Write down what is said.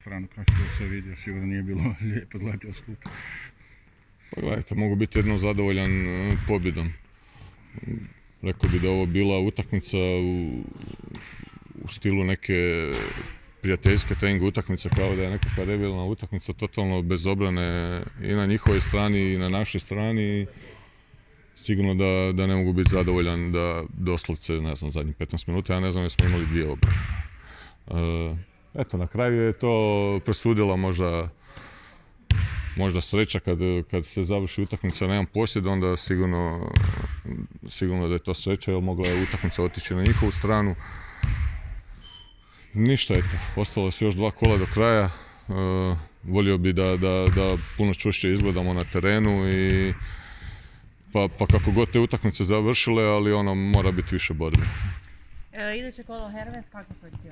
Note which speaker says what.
Speaker 1: Frano, kako što se vidio, sigurno nije bilo lijepo gledati od klupe.
Speaker 2: Pa gledajte, mogu biti jedno zadovoljan pobjedom. Rekao bi da ovo bila utakmica u stilu neke prijateljske trening utakmice, kao da je nekakva revijalna utakmica, totalno bez obrane i na njihovoj strani i na našoj strani. Sigurno da ne mogu biti zadovoljan da doslovce, ne znam, zadnjih 15 minuta, ja ne znam, jesmo imali dvije obrane. Eto, na kraju je to presudila možda sreća kad se završi utakmica na jedan posjed, onda sigurno da je to sreća, jer mogla je utakmica otići na njihovu stranu. Ništa, eto, ostalo su još 2 kola do kraja. Volio bi da puno čvršće izgledamo na terenu i pa kako god te utakmice završile, ali ono mora biti više borbe.
Speaker 3: Iduće kolo Hermes, kako su očekivanja?